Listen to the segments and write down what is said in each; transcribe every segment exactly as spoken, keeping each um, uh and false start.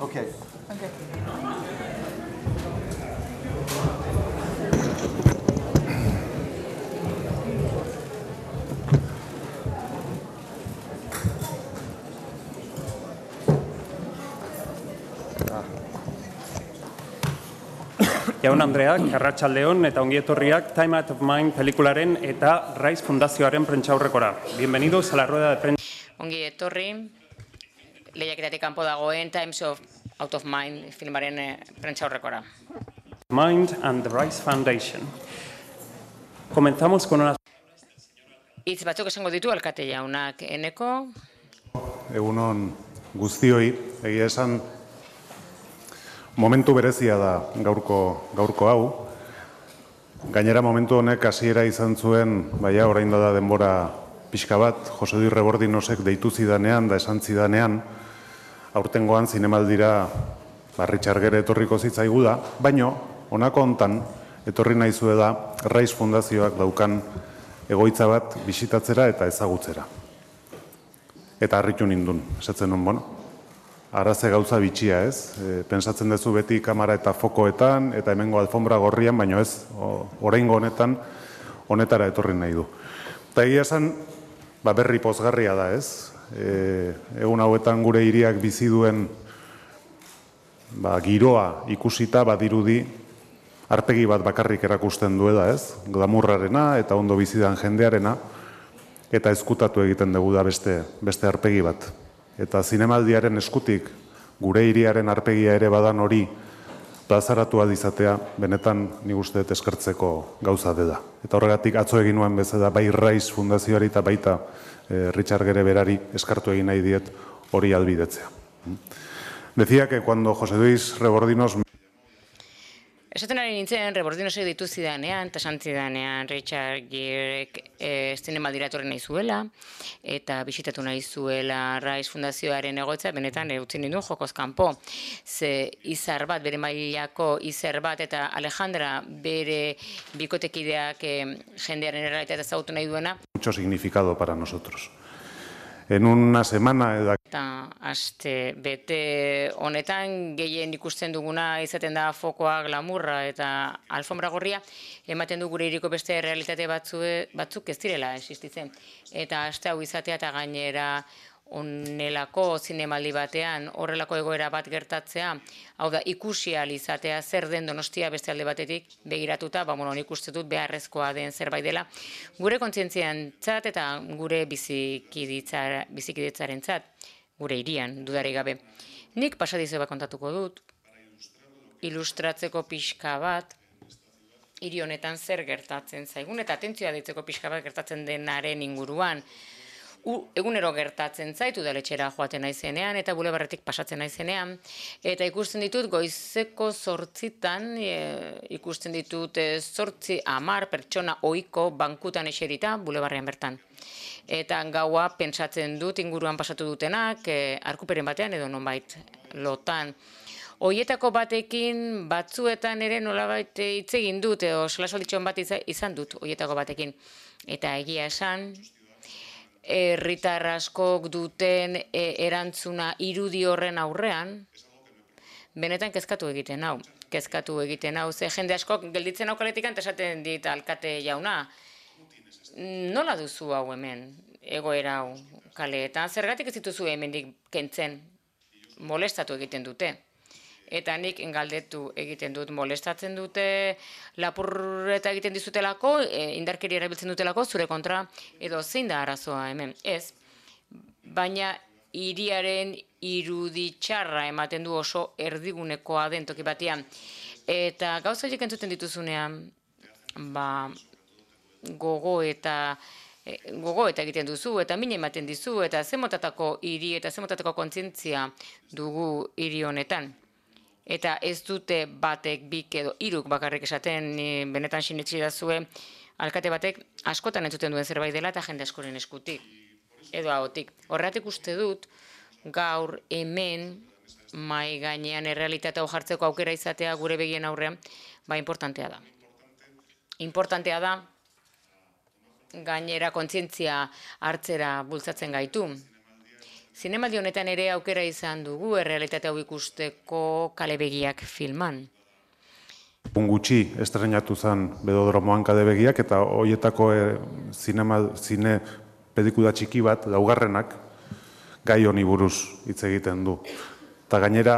Okay. Okay. Jaun Andreak, arratsaldeon eta ongi etorriak Time Out of Mind pelikularen eta Rise Fundazioaren prentsaurrekora. Bienvenidos a la rueda de prensa. Ongi etorri, lehiaketatik kanpo dagoen Times of Out of Mind filmaren prentsaurrekora. Mind and the Rise Foundation. Comenzamos con una... Hitz batzuk esango ditu alkate jaunak, Eneko. Egunon guztioi, egia esan momentu berezia da gaurko gaurko hau. Gainera momentu honek hasiera izan zuen, baina orain da denbora pixka bat, Jose Luis Rebordinosek deitu zidanean da esan zidanean, aurtengoan zinemaldira Richard Gere etorriko zitzaigu da, baino honako hontan etorri naizue da Rise Fundazioak daukan egoitza bat bisitatzera eta ezagutzera. Eta harritu nindun, esatzen nun, bueno, araze gauza bitxia, ez? E, pensatzen duzu beti kamera eta fokoetan, eta hemengo alfombra gorrian, baino ez, oraingo honetan, honetara etorri nahi du. Eta egia esan, ba, berri pozgarria da, ez? E, egun hauetan gure hiriak bizi duen ba, giroa ikusita, badirudi, arpegi bat bakarrik erakusten duela, ez? Glamurrarena eta ondo bizidan jendearena, eta ezkutatu egiten dugu da beste, beste arpegi bat. Eta zinemaldiaren eskutik gure hiriaren arpegia ere badan hori plazaratu adizatea, benetan nik uste dut eskertzeko gauza dela. Eta horregatik atzo egin nuen bezala bai Rise Fundazioari eta baita eh, Richard Gere berari eskartu egin nahi diet hori albidetzea. Decía que cuando José Luis Rebordinos... Esaten ari nintzen, Rebordinosek ditu zidanean, eta esan zidanean Richard Gerek e, zinemaldira etorri nahi zuela, eta bisitatu nahi zuela Rise Fundazioaren egoitza, benetan utzi ninduen jokoz kanpo. Ze izar bat, bere mailako izar bat, eta Alejandra bere bikotekideak e, jendearen errealitatea ezagutu nahi duena. Mucho significado para nosotros. En una semana... Eta aste bete honetan gehien ikusten duguna izaten da fokoa, glamurra eta alfombra gorria, ematen du gure hiriko beste realitate batzue, batzuk ez direla existitzen. Eta aste hau izatea eta gainera onelako zinemaldi batean horrelako egoera bat gertatzea, hau da ikusi ahal izatea zer den Donostia beste alde batetik begiratuta, ba, bueno, nik uste dut beharrezkoa den zerbait dela, gure kontzientziantzat eta gure bizikidetzarentzat, gure hirian, dudarik gabe. Nik pasadizo bat kontatuko dut, ilustratzeko pixka bat, hiri honetan zer gertatzen zaigun, eta atentzioa ditzeko pixka bat gertatzen denaren inguruan. Egunero gertatzen zaitu udaletxera joaten naizenean eta bulebarretik pasatzen naizenean. Eta ikusten ditut goizeko zortzitan, e, ikusten ditut zortzi hamar pertsona ohiko bankutan eserita bulebarrean bertan. Eta gaua pentsatzen dut inguruan pasatu dutenak, e, arkuperen batean edo nonbait lotan. Hoietako batekin batzuetan ere nolabait hitz egin dut, edo solasolditxon bat izan dut hoietako batekin. Eta egia esan, herritar askok duten erantzuna irudi horren aurrean, benetan kezkatu egiten hau. Kezkatu egiten hau, ze jende askok gelditzen hau kaletikan, eta esaten dit alkate jauna, nola duzu hau hemen, egoera hau kaleetan, zergatik ez dituzu hemendik kentzen, molestatu egiten dute. Eta nik galdetu egiten dut, molestatzen dute, lapurreta egiten dizutelako, indarkeria erabiltzen dutelako, zure kontra, edo zein da arazoa hemen. Ez, baina hiriaren irudi txarra ematen du oso erdigunekoa den toki batean. Eta gauza horiek entzuten dituzunean, ba, gogo eta e, gogo eta egiten duzu, eta min ematen dizu, eta ze motatako hiri eta ze motatako kontzientzia dugu hiri honetan. Eta ez dute batek, bik edo hiruk bakarrik esaten, ni benetan sinetsi dazue, alkate batek askotan entzuten duen zerbait dela eta jende askoren eskutik, edo ahotik. Horregatik uste dut, gaur hemen mai gainean errealitatea hau jartzeko aukera izatea gure begien aurrean, ba importantea da. Importantea da, gainera kontzientzia hartzera bultzatzen gaitu. Zinemaldi honetan ere aukera izan dugu errealitatea hau ikusteko Kale Begiak filman. Egun gutxi estrenatu zen Bedodromoan Kale Begiak, eta horietako e, zinema, zine pelikula txiki bat, laugarrenak, gai honi buruz hitz egiten du. Eta gainera,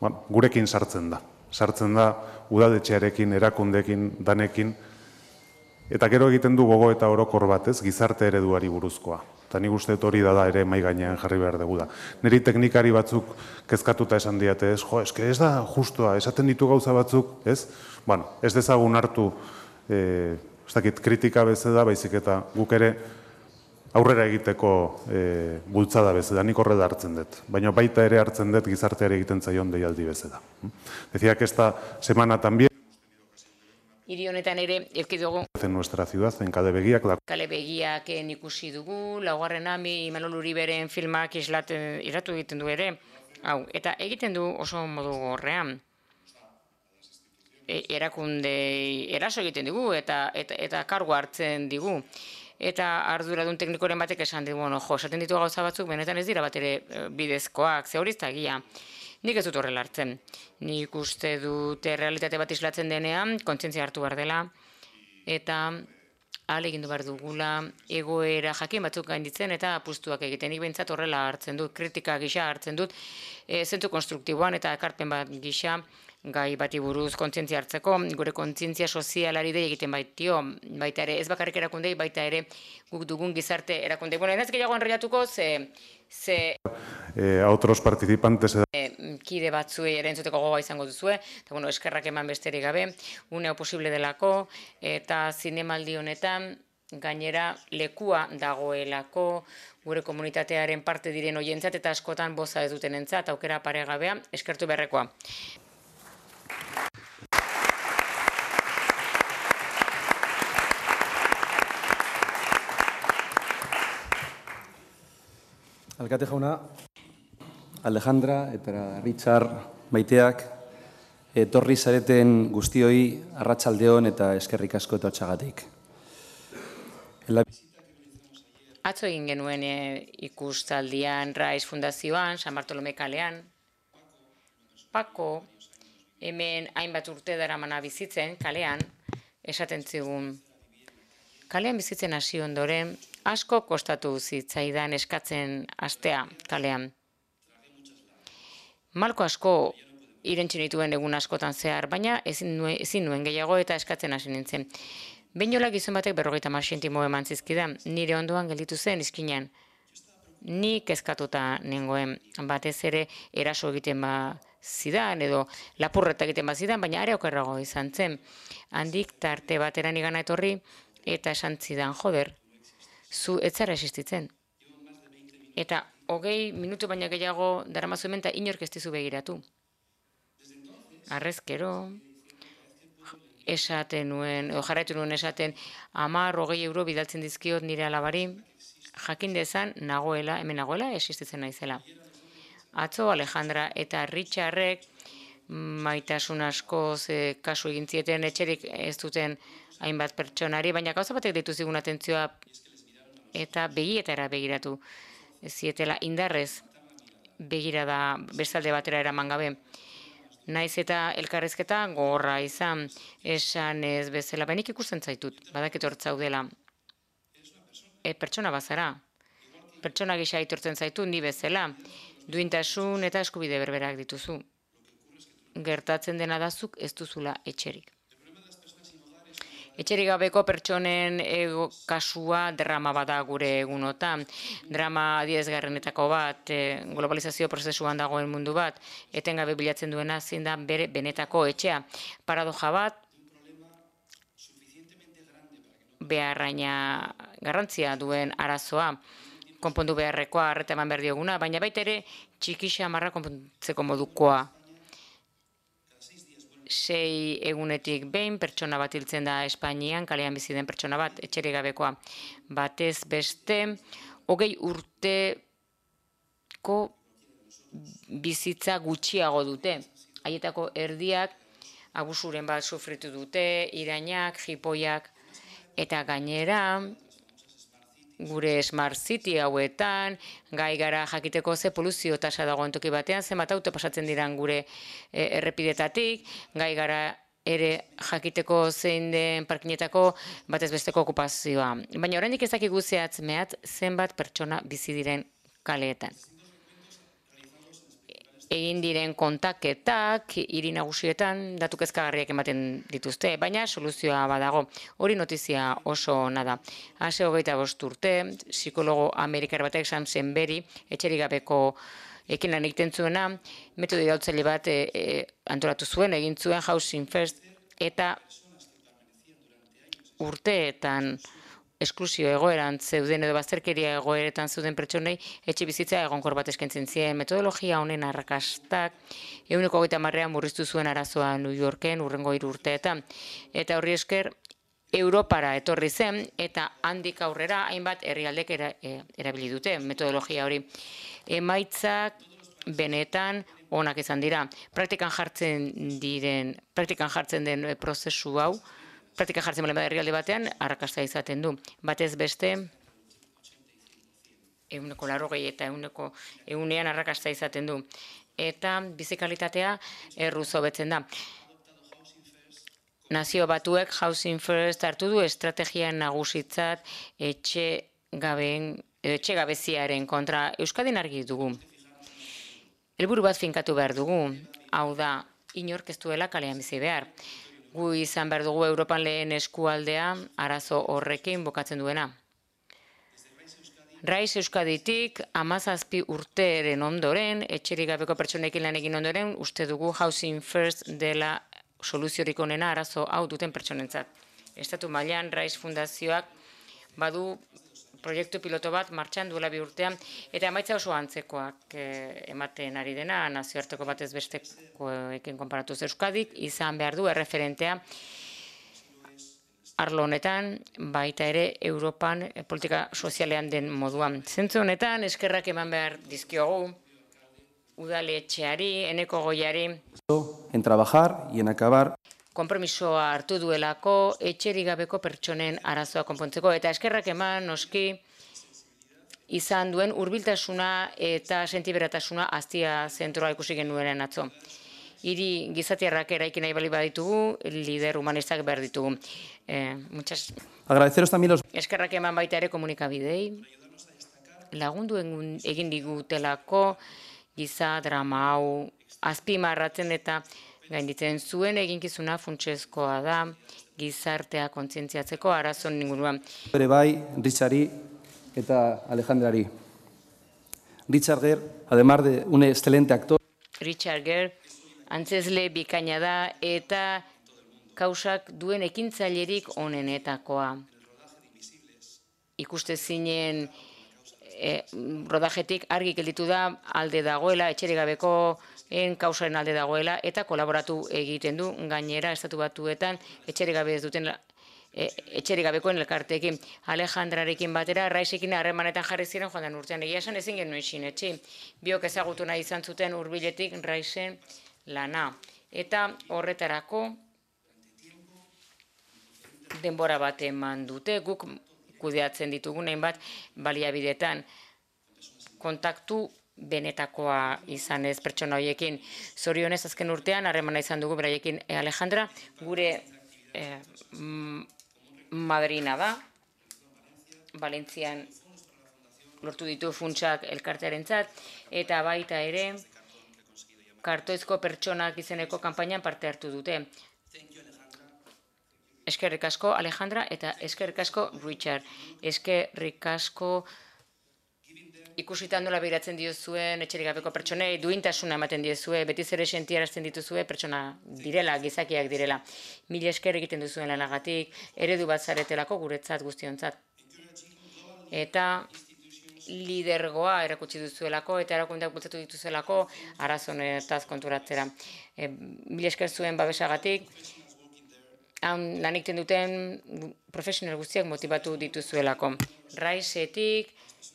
bueno, gurekin sartzen da. Sartzen da udaletxearekin, erakundekin, danekin, eta gero egiten du gogo eta orokor batez, gizarte ereduari buruzkoa. Eta nik uste hori da da ere mai gainean jarri behar dugu da. Niri teknikari batzuk kezkatuta esan diate, ez, jo, eske ez da justua, esaten ditu gauza batzuk, ez? Bueno, ez dezagun hartu, eh, ez dakit, kritika bezala, baizik eta guk ere aurrera egiteko e, bultzada bezala, nik horrela hartzen dut. Baina baita ere hartzen dut gizarteari egiten zaion deialdi bezala. Decía que esta semana también Hiri honetan ere, eduki dugu. En nuestra ciudad, en Kale Begiak. La... Kale Begiak ikusi dugu, laugarrena mi Imanol Uriberen filmak islaten, iratu egiten du ere. Hau, eta egiten du oso modu gorrean. E, erakunde, eraso egiten digu eta, eta, eta kargu hartzen digu. Eta arduradun teknikoren batek esan digu, bueno, jo, esaten ditu gauza batzuk, benetan ez dira bat ere bidezkoak, ze hori ez da egia. Nik ez dut horrela hartzen. Nik uste dute realitate bat islatzen denean, kontzientzia hartu behar dela, eta ahalegindu behar dugula, egoera jakin batzuk gainditzen eta apustuak egiten. Nik behintzat horrela hartzen dut, kritika gisa hartzen dut, e, zentzu konstruktiboan eta ekarpen bat gisa, gai bati buruz kontzientzia hartzeko, gure kontzientzia sozialari dei egiten baitio, baita ere, ez bakarrik erakundei, baita ere guk dugun gizarte erakundei. Bueno, ez gehiago enrollatuko, ze... ze eh, a otros participantes... E, kide batzuei ere entzuteko gogoa izango duzue, eta bueno, eskerrak eman besterik gabe, une hau posible delako, eta zinemaldi honetan, gainera lekua dagoelako, gure komunitatearen parte diren hoientzat, eta askotan boza ez duten entzat, aukera paregabea, eskertu beharrekoa. Alkate jauna, Alejandra eta Richard maiteak, etorri zareten guztioi arratsaldeon eta eskerrik asko etortxagatik. Atzo egin genuen e, ikustaldian Raiz Fundazioan, San Bartolome kalean, Pako, hemen hainbat urte daramana bizitzen, kalean, esaten zigun. Kalean bizitzen hasi ondoren, asko kostatu zitzaidan eskatzen astea kalean. Malko asko irentsi nituen egun askotan zehar, baina ezin nuen, ezin nuen gehiago eta eskatzen hasi nintzen. Beinola gizon batek berrogeita hamar zentimo eman zizkidan, nire ondoan gelditu zen izkinan. Ni kezkatuta nengoen, batez ere eraso egiten ba zidan edo lapurreta egiten ba zidan, baina are okerrago izan zen. Handik tarte batera nigana etorri eta esan zidan, joder, zu ez zara existitzen. Eta hogei minutu baina gehiago daramazu hemen eta inork ez dizu begiratu. Arrezkero, esaten nuen, edo jarraitu nuen esaten, hamar hogei euro bidaltzen dizkiot nire alabari, jakin dezan nagoela, hemen nagoela, existitzen naizela. Atzo Alejandra eta Richardrek maitasun askoz e, kasu egin zieten etxerik ez duten hainbat pertsonari, baina gauza batek deitu zigun atentzioa eta begietara begiratu zietela indarrez begirada bestalde batera eraman gabe. Naiz eta elkarrezketa gogorra izan, esan ez bezala, benik ikusten zaitut, badakit hortzaudela. E, pertsona bazara, pertsona gisa aitortzen zaitu ni bezala, duintasun eta eskubide berberak dituzu. Gertatzen dena dazuk ez duzula etxerik. Etxerik gabeko pertsonen ego kasua drama bada gure egunotan. Drama adierazgarrienetako bat, e, globalizazio prozesuan dagoen mundu bat, etengabe bilatzen duena zein da bere benetako etxea. Paradoja bat, beharraina garrantzia duen arazoa, konpondu beharrekoa, arreta eman behar dioguna, baina baita ere txiki xamarra konpontzeko modukoa. Sei egunetik behin pertsona bat hiltzen da Espainian, kalean bizi den pertsona bat, etxerik gabekoa. Batez beste, hogei urteko bizitza gutxiago dute. Haietako erdiak abusuren bat sufritu dute, irainak, jipoiak, eta gainera, gure Smart City hauetan, gai gara jakiteko ze poluzio tasa dagoen toki batean, zenbat auto pasatzen diran gure e, errepidetatik, gai gara ere jakiteko zein den parkinetako batez besteko okupazioa. Baina oraindik ez dakigu zehatz mehatz zenbat pertsona bizi diren kaleetan. Egin diren kontaketak, hiri nagusietan, datu kezkagarriak ematen dituzte, baina soluzioa badago. Hori notizia oso ona da. Hase hogeita bost urte, psikologo amerikar batek Sam Senberi, etxerik gabeko ekin lan egiten zuena, metodo irautzaile bat e, e, antolatu zuen, egin zuen Housing First, eta urteetan esklusio egoeran zeuden edo bazterkeria egoeretan zeuden pertsonei etxe bizitza egonkor bat eskaintzen zien. Metodologia honen arrakastak ehuneko hogeita hamarrean murriztu zuen arazoa New Yorken hurrengo hiru urteetan. Eta horri esker Europara etorri zen eta handik aurrera hainbat herrialdek era, e, erabili dute metodologia hori. Emaitzak benetan onak izan dira. Praktikan jartzen diren, praktikan jartzen den prozesu hau, praktika jartzen balen herrialde batean, arrakasta izaten du. Batez beste, ehuneko laurogei eta ehuneko ehunean arrakasta izaten du. Eta bizikalitatea erruz hobetzen da. Nazio Batuek Housing First hartu du estrategia nagusitzat etxe gabeen, etxe gabeziaren kontra. Euskadin argi dugu. Helburu bat finkatu behar dugu. Hau da, inork ez duela kalean bizi behar. Gu izan behar dugu Europan lehen eskualdea arazo horrekin bokatzen duena. Rais Euskaditik hamazazpi urteren ondoren, etxerik gabeko pertsonekin lan egin ondoren, uste dugu Housing First dela soluziorik onena arazo hau duten pertsonentzat. Estatu mailan Rais Fundazioak badu proiektu piloto bat martxan duela bi urtean, eta emaitza oso antzekoak ematen ari dena, nazioarteko batez bestekoekin konparatuz. Euskadik izan behar du erreferentea arlo honetan, baita ere Europan politika sozialean den moduan. Zentzu honetan, eskerrak eman behar dizkiogu, udaletxeari, Eneko Goiari, en trabajar y en acabar konpromisoa hartu duelako etxerik gabeko pertsonen arazoa konpontzeko, eta eskerrak eman noski izan duen hurbiltasuna eta sentiberatasuna Aztia zentroa ikusi genuenen atzo. Hiri gizatiarrak eraiki nahi bali baditugu, lider humanistak behar ditugu. Eh, muchas... Agradeceros también los... Eskerrak eman baita ere komunikabidei, lagundu egin digutelako giza drama hau azpimarratzen eta gainditzen zuen eginkizuna funtsezkoa da gizartea kontzientziatzeko arazon inguruan. Bere bai, Richardi eta Alejandrari. Richard Gere, además de un excelente actor, Richard Gere, antzezle bikaina da eta kausak duen ekintzailerik onenetakoa. Ikustezinen e, rodajetik argi gelditu da alde dagoela, etxerik gabeko en kausaren alde dagoela eta kolaboratu egiten du gainera Estatu Batuetan etxerik gabe ez duten e, etxerik gabekoen elkarteekin. Alejandrarekin batera Raisekin harremanetan jarri ziren joan den urtean. Egia esan ezin genuen sinetsi. Biok ezagutu nahi izan zuten hurbiletik Raisen lana. Eta horretarako denbora bat eman dute, guk kudeatzen ditugun hainbat baliabidetan kontaktu benetakoa izan ez pertsona horiekin. Zorionez azken urtean harremana izan dugu beraiekin. E, Alejandra gure e, madrina da, Valentzian lortu ditu funtsak elkartearentzat, eta baita ere Kartoizko pertsonak izeneko kanpainan parte hartu dute. eskerrik asko Alejandra eta eskerrik asko Richard. Eskerrik asko ikusitan nola begiratzen diozuen etxerik gabeko pertsonei, duintasuna ematen diozue, betiz ere sentiarazten dituzue pertsona direla, gizakiak direla. Mila esker egiten duzuen lanagatik, eredu bat zaretelako guretzat guztiontzat. Eta lidergoa erakutsi duzuelako eta erakundeak bultzatu dituzuelako arazonetaz konturatzera. E, mila esker zuen babesagatik, han lan egiten duten profesional guztiak motibatu dituzuelako. Raisetik,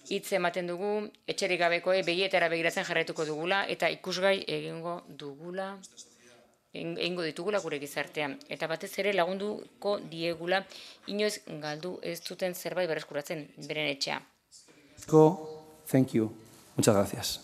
hitz ematen dugu, etxerik gabekoei begietara begiratzen jarraituko dugula eta ikusgai egingo dugula, egingo ditugula gure gizartean. Eta batez ere lagunduko diegula inoiz galdu ez duten zerbait berreskuratzen beren etxea. Thank you. Muchas gracias.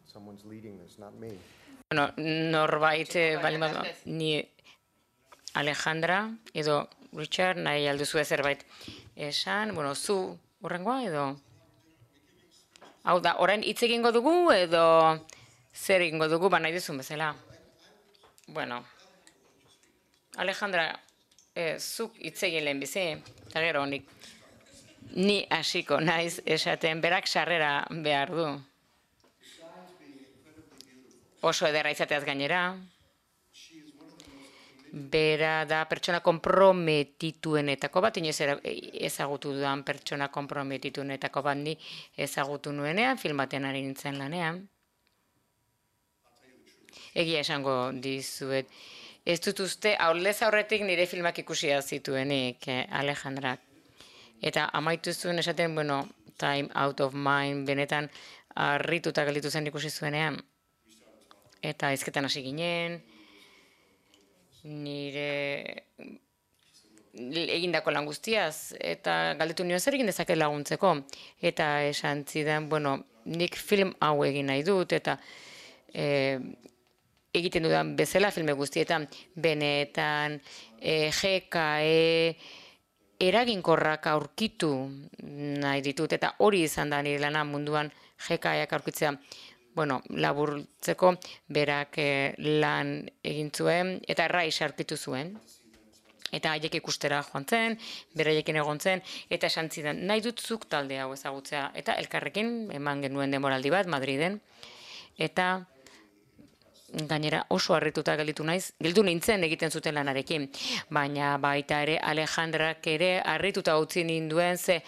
Someone's leading this, not me. Bueno, norbait, bali bada, ni Alejandra edo Richard nahi alduzu zerbait esan, bueno, zu horrengoa edo? Hau da, orain hitz egingo dugu edo zer egingo dugu, ba nahi duzun bezala. Bueno, Alejandra, eh, zuk hitz egin lehen bizi, eta gero honik. Ni hasiko naiz esaten, berak sarrera behar du. Oso ederra izateaz gainera. Bera da pertsona konprometituenetako bat, inoiz ezagutu dudan pertsona konprometituenetako bat ni ezagutu nuenean, filmaten ari nintzen lanean. Egia esango dizuet. Ez dut uste, aurrez aurretik nire filmak ikusia zituenik, Alejandrak. Eta amaitu zuen esaten, bueno, Time Out of Mind, benetan harrituta gelditu zen ikusi zuenean. Eta hizketan hasi ginen, nire egindako lan guztiaz, eta galdetu nio zer egin dezaket laguntzeko. Eta esan zidan, bueno, nik film hau egin nahi dut, eta e, egiten dudan bezala filme guztietan, benetan, e, G K E, eraginkorrak aurkitu nahi ditut, eta hori izan da nire lana munduan G K Eak aurkitzea. Bueno, laburtzeko berak lan egin zuen eta erraiz aurkitu zuen. Eta haiek ikustera joan zen, beraiekin egon zen, eta esan zidan, nahi dut zuk talde hau ezagutzea. Eta elkarrekin eman genuen denboraldi bat, Madriden. Eta gainera oso harrituta gelditu naiz, gelditu nintzen egiten zuten lanarekin. Baina baita ere Alejandrak ere harrituta utzi ninduen, ze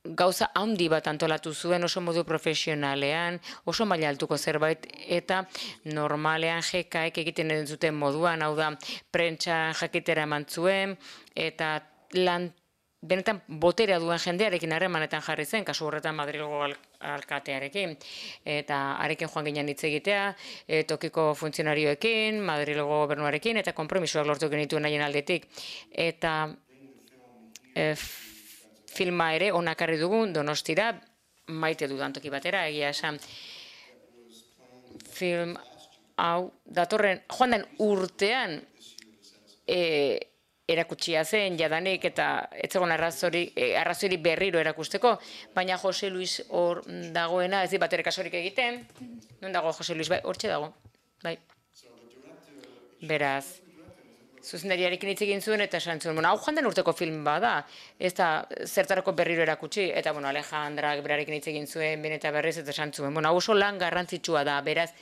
gauza handi bat antolatu zuen oso modu profesionalean, oso maila altuko zerbait, eta normalean G K Ek egiten zuten moduan, hau da, prentsa jakitera eman zuen, eta lan benetan boterea duen jendearekin harremanetan jarri zen, kasu horretan Madrilgo alkatearekin, eta arekin joan ginen hitz egitea, e, tokiko funtzionarioekin, Madrilgo gobernuarekin, eta konpromisoak lortu genituen haien aldetik. Eta e, filma ere onakarri dugun Donostira, maite dudan toki batera, egia esan. Film hau datorren, joan den urtean e, erakutsia zen jadanik eta ez zegoen arrazori, e, arrazori berriro erakusteko, baina Jose Luis hor dagoena, ez di bat ere kasurik egiten. Non dago Jose Luis? Bai, hortxe dago. Bai. Beraz, zuzendariarekin hitz egin zuen eta esan zuen, bueno, hau joan den urteko film bada, ez da zertarako berriro erakutsi, eta bueno, Alejandrak berarekin hitz egin zuen, ben eta berriz, eta esan zuen, bueno, hau oso lan garrantzitsua da, beraz,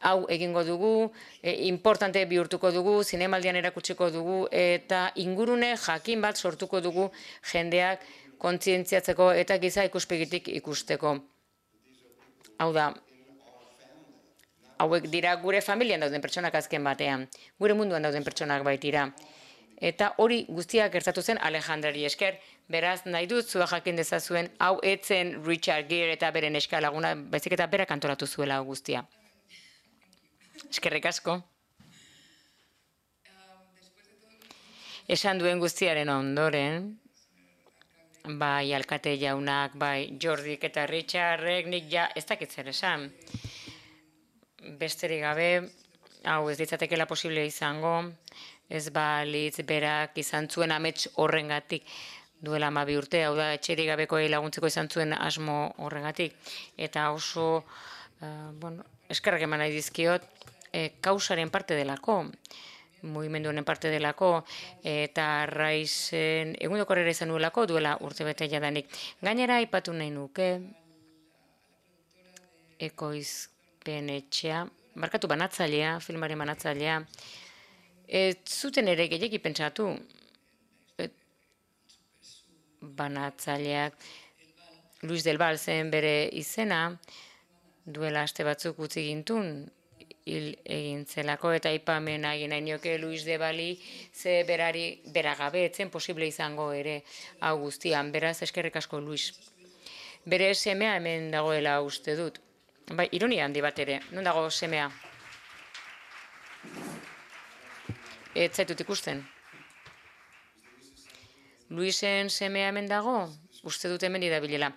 hau egingo dugu, e, importante bihurtuko dugu, zinemaldian erakutsiko dugu, eta ingurune jakin bat sortuko dugu jendeak kontzientziatzeko eta giza ikuspegitik ikusteko. Hau da, hauek dira gure familian dauden pertsonak azken batean, gure munduan dauden pertsonak baitira. Eta hori guztiak gertatu zen Alejandrari esker, beraz nahi dut zua jakin dezazuen, hau etzen Richard Gere eta beren eskalaguna, baizik eta berak antolatu zuela hau guztia. Eskerrik asko. Esan duen guztiaren ondoren, bai alkate jaunak, bai Jordik eta Richardek, nik ja ez dakit zer esan. Besterik gabe, hau ez ditzatekela posible izango, ez balitz berak izan zuen amets horrengatik duela hamabi urte, hau da etxerik gabekoei laguntzeko izan zuen asmo horrengatik. Eta oso, uh, bueno, eskerrak eman nahi dizkiot, eh, kausaren parte delako, mugimendu honen parte delako, eta Raizen egundoko harrera izan nuelako duela urtebete jadanik. Gainera aipatu nahi nuke, ekoizpen etxea, markatu banatzailea, filmaren banatzailea, ez zuten ere gehiagi pentsatu, banatzaileak Luis del Val zen bere izena, duela aste batzuk utzi gintun, hil egin zelako, eta aipamen egin nahi nioke Luis de Bali ze berari beragabe etzen posible izango ere hau guztian, beraz eskerrik asko Luis. Bere semea hemen dagoela uste dut. Bai, ironia handi bat ere, non dago semea? Ez zaitut ikusten. Luisen semea hemen dago, uste dut hemen idabilela.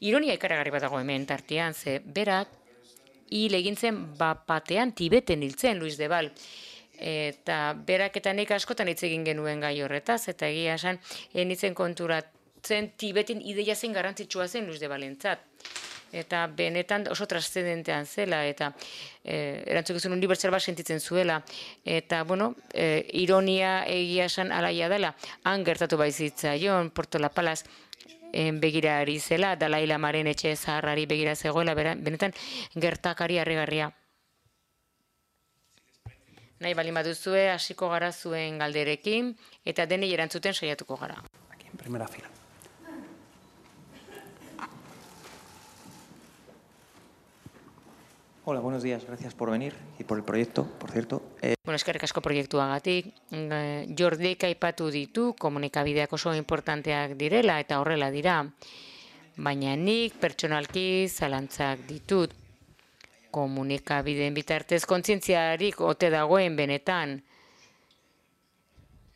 Ironia ikaragarri bat dago hemen tartean, ze berak hil egin zen bapatean Tibeten hiltzen Luis de Val. Eta berak eta nik askotan hitz egin genuen gai horretaz, eta egia esan, enitzen konturatzen Tibeten ideia zen garrantzitsua zen Luis de Valentzat. Eta benetan oso transcendentean zela, eta eh, erantzukizun unibertsal bat sentitzen zuela. Eta, bueno, eh, ironia egia esan alaia dela, han gertatu baizitzaion, Porto La Palaz begira ari zela, Dalai Lamaren etxe zaharrari begira zegoela, benetan gertakari harrigarria. Nahi baldin baduzue, hasiko gara zuen galderekin, eta denei erantzuten saiatuko gara. Aquí en primera fila. Hola, buenos días. Gracias por venir y por el proyecto, por cierto. Eh... Bueno, eskerrik asko proiektuagatik. Jordik aipatu ditu, komunikabideak oso importanteak direla eta horrela dira. Baina nik pertsonalki zalantzak ditut. Komunikabideen bitartez kontzientziarik ote dagoen benetan.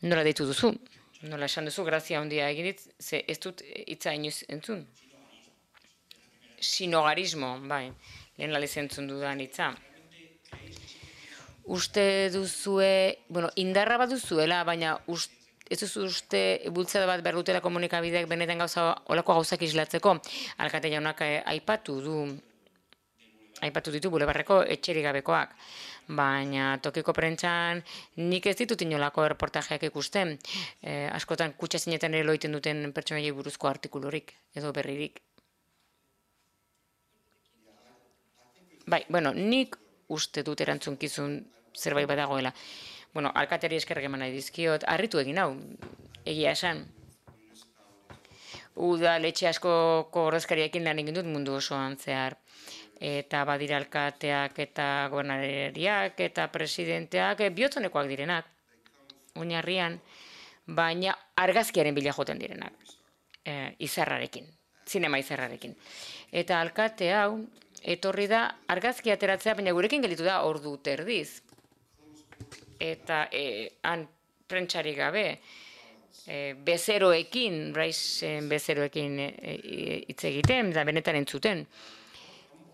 Nola deitu duzu? Nola esan duzu, grazia handia egin dit, ze ez dut hitza inoiz entzun. Sinogarismo, bai. Lehen laliz entzun dudan hitza. Uste duzue, bueno, indarra bat duzuela, baina ust, ez duzu uste bultzada bat behar dutela komunikabideak benetan gauza, olako gauzak islatzeko. Alkate jaunak aipatu du, aipatu ditu bulebarreko etxerik gabekoak. Baina tokiko prentsan nik ez ditut inolako erreportajeak ikusten. Eh, askotan kutsa zinetan ere loiten duten pertsonaiei buruzko artikulurik edo berririk. Bai, bueno, nik uste dut erantzunkizun zerbait badagoela. Bueno, alkateri eskerrak eman nahi dizkiot, harritu egin hau, egia esan. Udaletxe askoko ordezkariekin lan egin dut mundu osoan zehar. Eta badira alkateak eta gobernariak eta presidenteak bihotzonekoak direnak, oinarrian, baina argazkiaren bila joten direnak, e, izarrarekin, zinema izarrarekin. Eta alkate hau, etorri da argazki ateratzea, baina gurekin gelditu da ordu terdiz. Eta e, han prentsarik gabe, e, bezeroekin, Raizen bezeroekin hitz e, egiten, da benetan entzuten.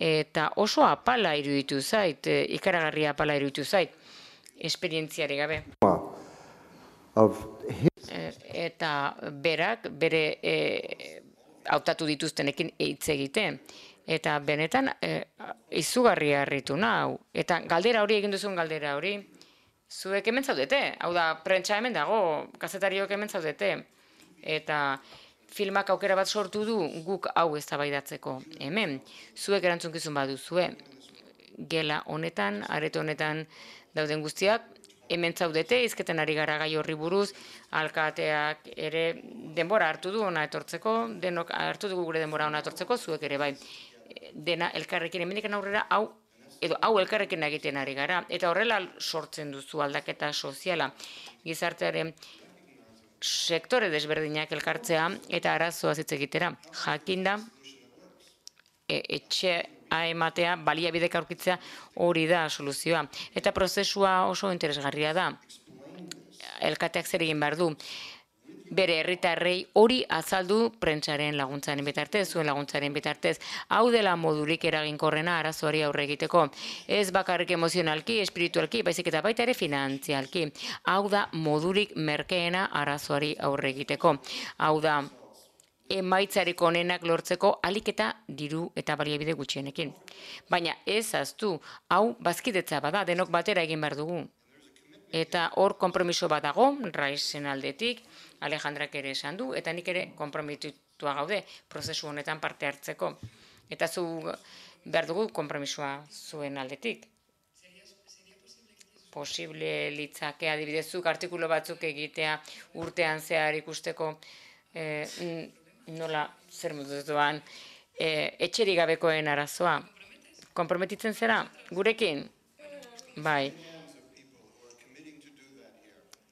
Eta oso apala iruditu zait, e, ikaragarria apala iruditu zait, esperientziari gabe. E, eta berak, bere e, hautatu dituztenekin hitz egiten. Eta benetan e, izugarria harritu nau. Eta galdera hori egin duzun galdera hori, zuek hemen zaudete. Hau da, prentsa hemen dago, kazetariok hemen zaudete. Eta filmak aukera bat sortu du guk hau eztabaidatzeko hemen. Zuek erantzunkizun baduzue. Gela honetan, areto honetan dauden guztiak, hemen zaudete, izketen ari gara gai horri buruz, alkateak ere denbora hartu du ona etortzeko, denok hartu dugu gure denbora ona etortzeko, zuek ere bai. Dena elkarrekin hemendikan aurrera hau edo hau elkarrekin egiten ari gara eta horrela sortzen duzu aldaketa soziala, gizartearen sektore desberdinak elkartzea eta arazoaz hitz egitera. Jakinda e, etxea ematea, baliabidek aurkitzea hori da soluzioa eta prozesua oso interesgarria da. Elkateak zer egin behar du. bere herritarrei hori azaldu prentsaren laguntzaren bitartez, zuen laguntzaren bitartez. Hau dela modurik eraginkorrena arazoari aurre egiteko. Ez bakarrik emozionalki, espiritualki, baizik eta baita ere finantzialki. Hau da modurik merkeena arazoari aurre egiteko. Hau da emaitzarik onenak lortzeko alik eta diru eta baliabide gutxienekin. Baina ez ahaztu, hau bazkidetza bada, denok batera egin behar dugu. Eta hor konpromiso bat dago, Raizen aldetik, Alejandrak ere esan du, eta nik ere konprometitua gaude prozesu honetan parte hartzeko. Eta zu behar dugu konpromisoa zuen aldetik. Posible litzake adibidezuk artikulu batzuk egitea urtean zehar ikusteko eh, nola zer modutuan e, etxerik gabekoen arazoa. Konprometitzen zera? Gurekin? Bai.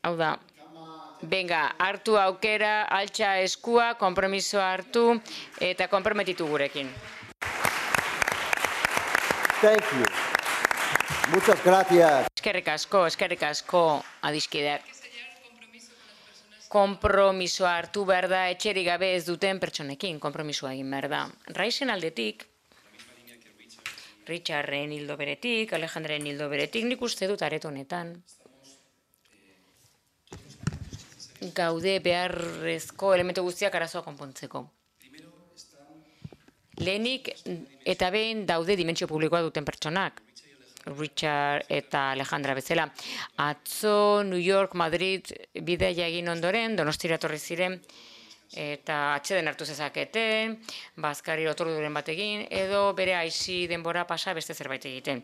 Hau da, benga, hartu aukera, altxa eskua, konpromisoa hartu eta konprometitu gurekin. Thank you. Muchas gracias. Eskerrik asko, eskerrik asko, adiskideak. Konpromisoa hartu behar da etxerik gabe ez duten pertsonekin, konpromisoa egin behar da. Raizen aldetik, Richarden hildo beretik, Alejandren hildo beretik, nik uste dut areto honetan. Gaude beharrezko elementu guztiak arazoa konpontzeko. Lehenik eta behin daude dimentsio publikoa duten pertsonak. Richard eta Alejandra bezala. Atzo, New York, Madrid bidaia egin ondoren, Donostira etorri ziren, eta atxeden hartu zezaketen, bazkari otorduren bat egin, edo bere aisi denbora pasa beste zerbait egiten.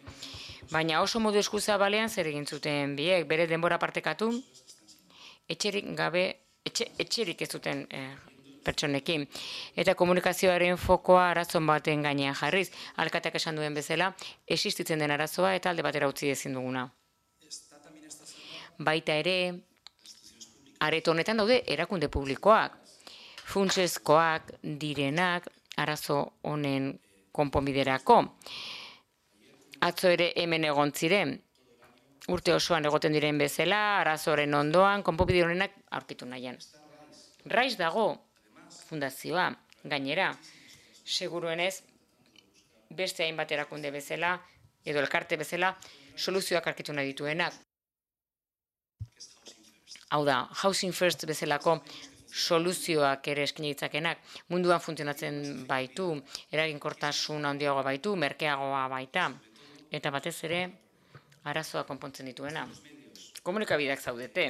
Baina oso modu eskuzabalean zer egin zuten biek, bere denbora partekatu, etxerik gabe, etxe, etxerik ez zuten eh, pertsonekin. Eta komunikazioaren fokoa arazon baten gainean jarriz. Alkateak esan duen bezala, existitzen den arazoa eta alde batera utzi ezin duguna. Baita ere, areto honetan daude erakunde publikoak, funtsezkoak direnak arazo honen konponbiderako. Atzo ere hemen egon ziren, urte osoan egoten diren bezala, arazoren ondoan, konponbide honenak aurkitu nahian. Raiz dago, fundazioa, gainera, seguruenez, beste hainbat erakunde bezala, edo elkarte bezala, soluzioak arkitu nahi dituenak. Hau da, Housing First bezalako soluzioak ere eskini ditzakenak, munduan funtzionatzen baitu, eraginkortasun handiagoa baitu, merkeagoa baita, eta batez ere, arazoa konpontzen dituena. Komunikabideak zaudete,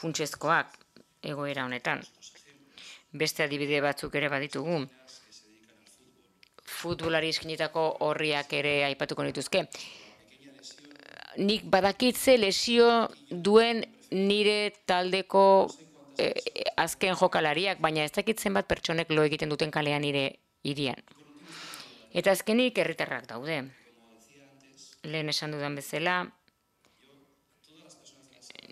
funtsezkoak egoera honetan. Beste adibide batzuk ere baditugu. Futbolari eskinitako horriak ere aipatuko nituzke. Nik badakitze lesio duen nire taldeko eh, azken jokalariak, baina ez dakitzen bat pertsonek lo egiten duten kalean nire hirian. Eta azkenik herritarrak daude. Lehen esan dudan bezala,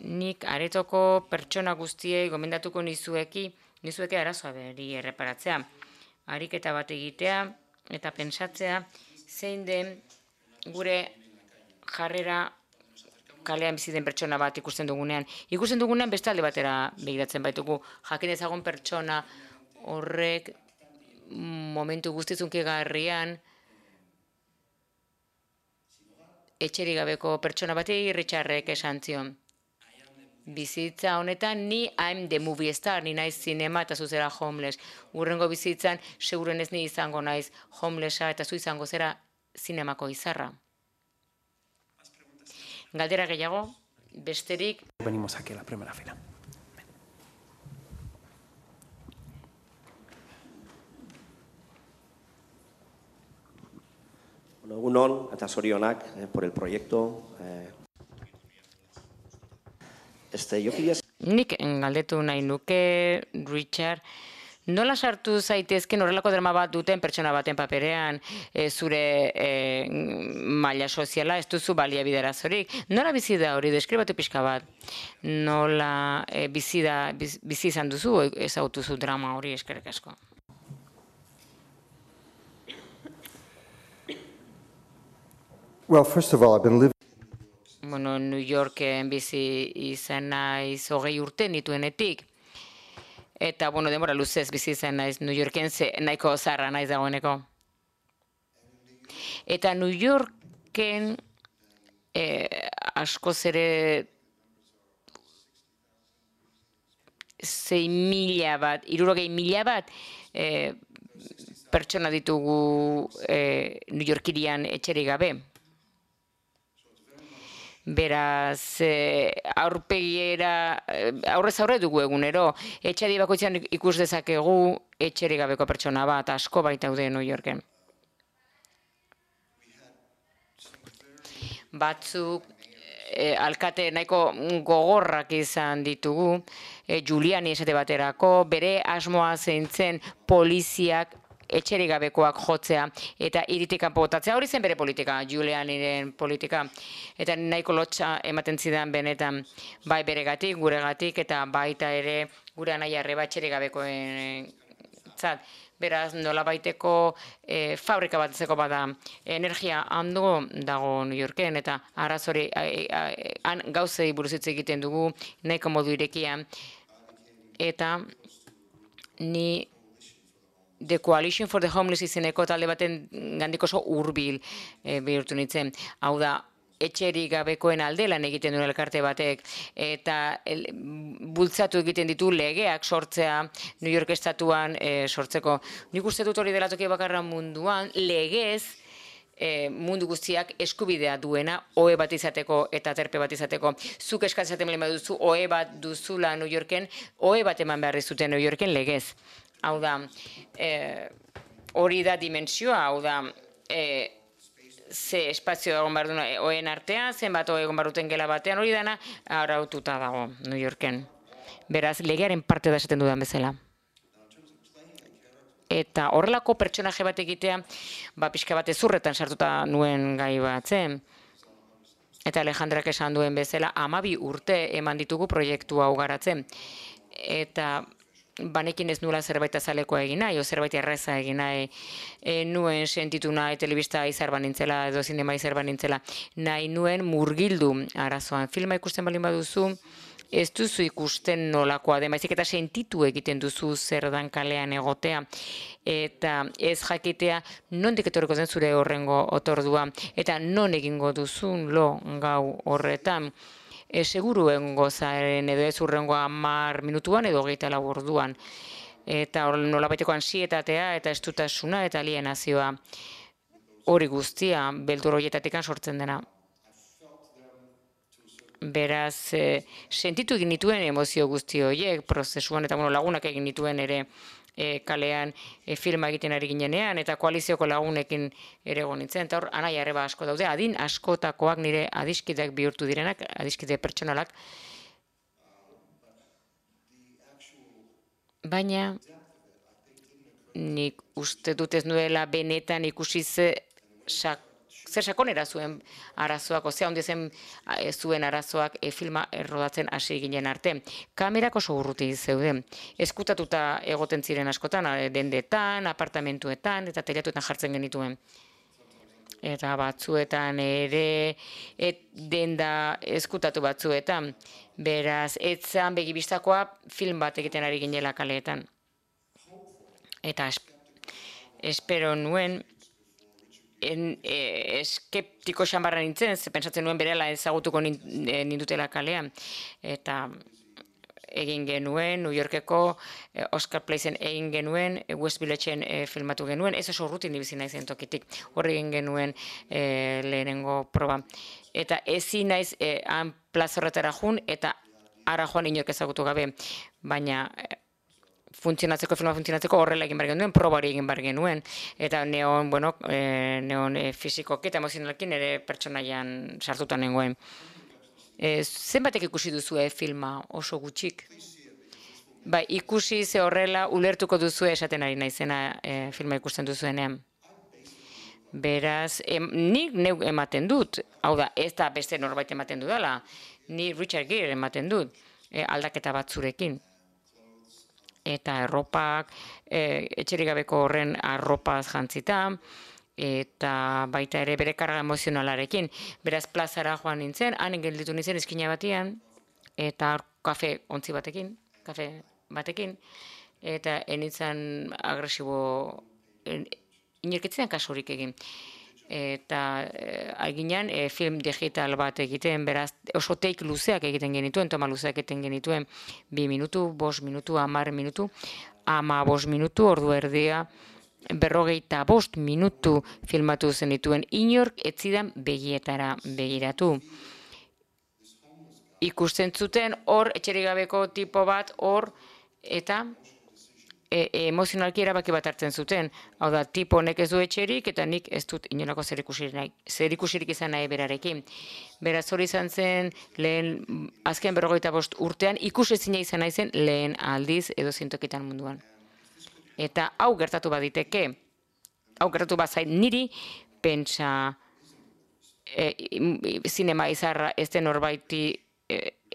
nik aretoko pertsona guztiei gomendatuko nizueki, nizueke arazoa beri erreparatzea. Ariketa bat egitea eta pentsatzea zein den gure jarrera kalean bizi den pertsona bat ikusten dugunean. Ikusten dugunean beste alde batera begiratzen baitugu. Jakin ezagun pertsona horrek momentu guztizunkigarrian etxerik gabeko pertsona bati Richardek esan zion. Bizitza honetan ni I'm the movie star, ni naiz zinema eta zuzera homeless. Urrengo bizitzan segurenez ni izango naiz homelessa eta zu izango zera zinemako izarra. Galdera gehiago, besterik. Venimos aquí a la primera fila. Bueno, egunon eta zorionak eh, por el proyecto. Eh, este, yo quería... Nik galdetu nahi nuke, Richard, nola sartu zaitezken horrelako drama bat duten pertsona baten paperean e, zure e, maila soziala, ez duzu baliabiderazorik. Nola bizi da hori, deskribatu pixka bat? Nola e, bizi, da, biz, bizi izan duzu, ezagutuzu drama hori, eskerrik asko? Well, first of all, I've been living... Bueno, New Yorken bizi izan naiz hogei urte nituenetik. Eta, bueno, denbora luzez bizi zen naiz New Yorken, ze nahiko zarra naiz dagoeneko. Eta New Yorken eh, askoz ere zei mila bat, hirurogei mila bat eh, pertsona ditugu eh, New Yorkirian etxerik gabe. Beraz, eh, aurpegiera, eh, aurrez aurre dugu egunero, etxadi bakoitzean ikus dezakegu etxerik gabeko pertsona bat, asko baitaude New Yorken. Batzuk, eh, alkate nahiko gogorrak izan ditugu, eh, Giuliani esate baterako, bere asmoa zeintzen poliziak etxerik gabekoak jotzea eta hiritik kanpo botatzea. Hori zen bere politika, Giulianiren politika. Eta nahiko lotxa ematen zidan benetan, bai beregatik, guregatik, eta baita ere gure anaia arreba etxerik gabekoen zat. Beraz, nolabaiteko eh, fabrika bat ezeko bada, energia hando dago New Yorken, eta arazori han gauzei buruz hitz egiten dugu, nahiko modu irekian. Eta ni The Coalition for the Homeless izeneko talde baten gandik oso hurbil e, bihurtu nintzen. Hau da, etxerik gabekoen alde lan egiten duen elkarte batek, eta el, bultzatu egiten ditu legeak sortzea New York estatuan e, sortzeko. Nik uste dut hori dela toki bakarra munduan, legez e, mundu guztiak eskubidea duena ohe bat izateko eta terpe bat izateko. Zuk eskatzen baldin baduzu ohe bat duzula New Yorken, ohe bat eman behar dizute New Yorken legez. Hau da, eh, hori da dimensioa, hau da, eh, ze espazio egon behar duen oen artean, zenbat oe egon behar duten gela batean, hori dana araututa dago New Yorken. Beraz, legearen parte da esaten dudan bezala. Eta horrelako pertsonaje bat egitea, ba, pixka bat ezurretan sartuta nuen gai bat zen. Eta Alejandrak esan duen bezala, hamabi urte eman ditugu proiektu hau garatzen. Eta banekin ez nula zerbait azalekoa egin nahi, o zerbait erraza egin nahi, e, nuen sentitu nahi telebista izar banintzela, edo zinema izar banintzela, nahi nuen murgildu arazoan. Filma ikusten baldin baduzu, ez duzu ikusten nolakoa den, baizik eta sentitu egiten duzu zer dan kalean egotea, eta ez jakitea nondik etorriko den zure horrengo otordua, eta non egingo duzun lo gau horretan. E, seguru egongo zaren edo ez urrengo hamar minutuan edo hogeita lau orduan. Eta nolabaiteko ansietatea eta estutasuna eta alienazioa hori guztia beldur horietatik sortzen dena. Beraz, e, sentitu egin nituen emozio guzti horiek prozesuan, eta bueno, lagunak egin nituen ere e, kalean e, filma egiten ari ginenean, eta koalizioko lagunekin ere nintzen, eta hor, anaia arreba asko daude, adin askotakoak nire adiskideak bihurtu direnak, adiskide pertsonalak. Baina, nik uste dut ez nuela benetan ikusi ze sak zer sakonera zuen arazoak, ozea onde zen zuen arazoak e, filma errodatzen hasi ginen arte. Kamerak oso urruti zeuden. Eskutatuta egoten ziren askotan, dendetan, apartamentuetan, eta telatuetan jartzen genituen. Eta batzuetan ere, et denda eskutatu batzuetan. Beraz, etzan begibistakoa film bat egiten ari ginela kaleetan. Eta espero nuen, En, e, eskeptiko xambarra nintzen, ze pentsatzen nuen berela ezagutuko nindutela kalean. Eta egin genuen, New Yorkeko eh, Oscar Placen egin genuen, eh, West Villageen eh, filmatu genuen, ez oso urrutin dibizi naizen tokitik, horre egin genuen eh, lehenengo proba. Eta ezin naiz eh, han plazorretara jun, eta ara joan inork ezagutu gabe, baina eh, funtzionatzeko, filma funtzionatzeko horrela egin behar genuen, probari egin behar genuen, eta neon, bueno, e, neon e, fizikoki eta emozionalki nire pertsonaian sartuta nengoen. E, zenbatek ikusi duzue filma oso gutxik? Ba, ikusi ze horrela ulertuko duzue esaten ari naizena e, filma ikusten duzuenean. Beraz, em, nik neu ematen dut, hau da, ez da beste norbait ematen dudala, ni Richard Gere ematen dut, e, aldaketa batzurekin. Eta erropak, e, etxerik gabeko horren arropaz jantzita, eta baita ere bere karga emozionalarekin. Beraz, plazara joan nintzen, han gelditu nintzen eskina batian, eta kafe ontzi batekin, kafe batekin, eta enitzan agresibo, inerketzean kasurik egin. Eta aginan film digital bat egiten, beraz oso teik luzeak egiten genituen, toma luzeak egiten genituen, bi minutu, bost minutu, hamar minutu, ama bost minutu, ordu erdia, berrogeita bost minutu filmatu zenituen, inork ez zidan begietara begiratu. Ikusten zuten hor, etxerik gabeko tipo bat hor, eta emozionalki erabaki bat hartzen zuten. Hau da, tipo honek ez du etxerik, eta nik ez dut inolako zerikusirik izan nahi berarekin. Beraz hori izan zen, lehen, azken berrogeita bost urtean, ikusezina izan nahi zen lehen aldiz edo zintokitan munduan. Eta hau gertatu baditeke, hau gertatu bazait niri, pentsa zinema izarra ez den horbaiti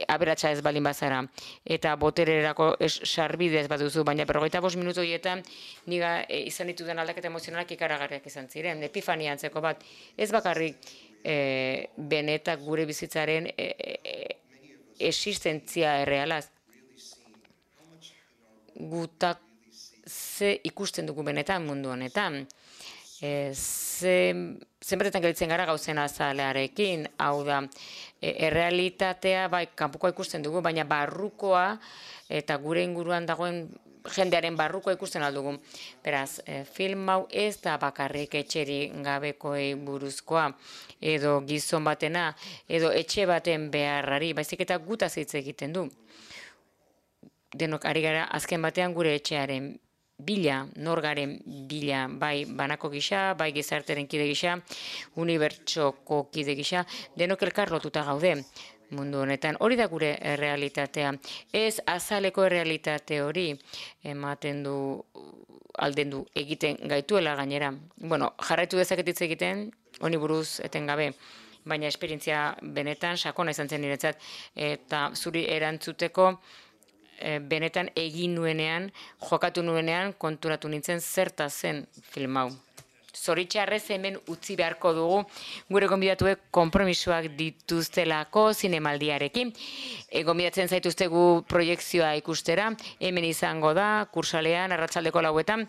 aberatsa ez balin bazara, eta botererako sarbidez baduzu, baina berrogeita bost minutu horietan niga izan ditudan aldaketa emozionalak ikaragarriak izan ziren, epifania antzeko bat, ez bakarrik benetak gure bizitzaren existentzia errealaz. Gutak ze ikusten dugu benetan mundu honetan. Zenbatetan gelitzen gara gauzen azalearekin, hau da, errealitatea bai kanpokoa ikusten dugu, baina barrukoa eta gure inguruan dagoen jendearen barrukoa ikusten aldugu. Beraz, film hau ez da bakarrik etxerik gabekoei buruzkoa, edo gizon batena, edo etxe baten beharrari, baizik eta gutaz hitz egiten du. Denok ari gara azken batean gure etxearen bila, norgaren bila, bai banako gisa, bai gizarteren kide gisa, unibertsoko kide gisa, denok elkar lotuta gaude mundu honetan. Hori da gure errealitatea. Ez azaleko errealitate hori ematen du, alden du, egiten gaituela gainera. Bueno, jarraitu dezaketitz egiten, honi buruz etengabe, baina esperientzia benetan sakona izan zen niretzat, eta zuri erantzuteko benetan egin nuenean, jokatu nuenean, konturatu nintzen zerta zen film hau. Zoritxarrez hemen utzi beharko dugu, gure gonbidatuek konpromisoak dituztelako zinemaldiarekin. Gonbidatzen zaituztegu proiekzioa ikustera, hemen izango da, kursalean, arratsaldeko lauetan.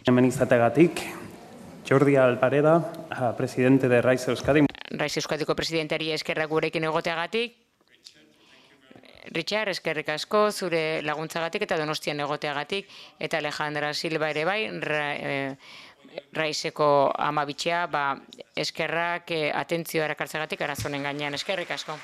Hemen izategatik, Jordi Alpareda, presidente de Rise Euskadi. Rise Euskadiko presidenteari eskerrak gurekin egoteagatik. Richard, eskerrik asko, zure laguntzagatik eta Donostian egoteagatik, eta Alejandra Silva ere bai, Raiseko amabitxea, eskerrak atentzioa erakartzeagatik arazonen gainean, eskerrik asko.